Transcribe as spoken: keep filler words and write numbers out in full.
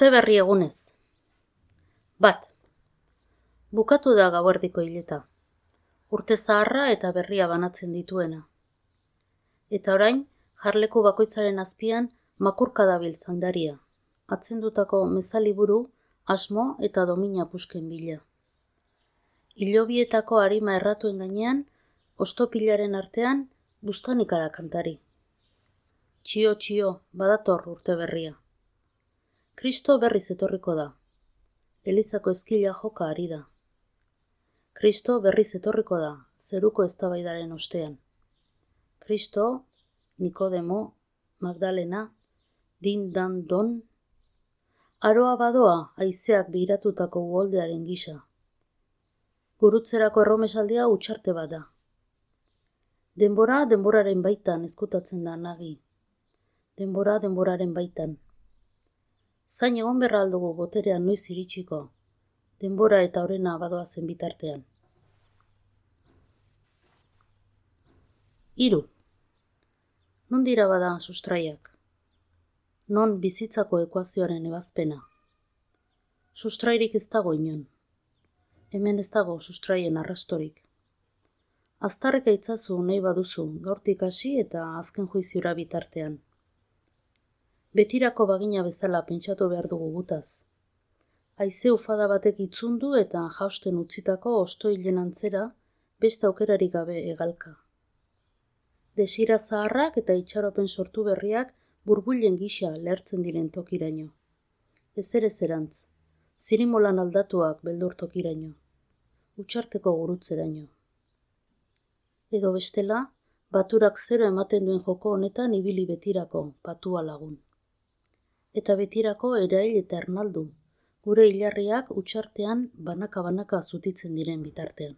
Urte berri egunez. Bat. Bukatu da gauerdiko hileta. Urte zaharra eta berria banatzen dituena. Eta orain, jarleku bakoitzaren azpian makurka dabil zandaria. Atzendutako mezaliburu, asmo eta domina pusken bila. Hilobietako arima erratuen gainean, ostopilaren artean, buztanikara kantari. Txio, txio, badator urte berria. Kristo berriz etorriko da. Elizako ezkila joka ari da. Kristo berriz etorriko da, zeruko eztabaidaren ostean. Kristo, Nikodemo, Magdalena, din dan don, aroa badoa haizeak biratutako uholdearen gisa. Gurutzerako erromesaldia utxarte bat da. Denbora denboraren baitan ezkutatzen da nagi. Denbora denboraren baitan. Zain egon berra aldugu boterean noiz iritsiko, denbora eta orena badoazen bitartean. Hiru. Non dira bada sustraiak? Non bizitzako ekuazioaren ebazpena? Sustrairik ez dago inon. Hemen ez dago sustraien arrastorik. Aztarreka itzazu nahi baduzu, gaurtik hasi eta azken juiziura bitartean. Betirako bagina bezala pentsatu behar dugu gutaz. Haize ufada batek itzundu eta jausten utzitako ostoilen antzera beste aukerarik gabe hegalka. Desira zaharrak eta itxaropen sortu berriak burbuilen gisa lehertzen diren tokiraino. Ezer ezerantz, zirimolan aldatuak beldur tokiraino. Utxarteko gurutzeraino. Edo bestela, baturak zero ematen duen joko honetan ibili betirako, patua lagun. Eta betirako erail eta ernaldu, gure hilarriak utxartean banaka-banaka zutitzen diren bitartean.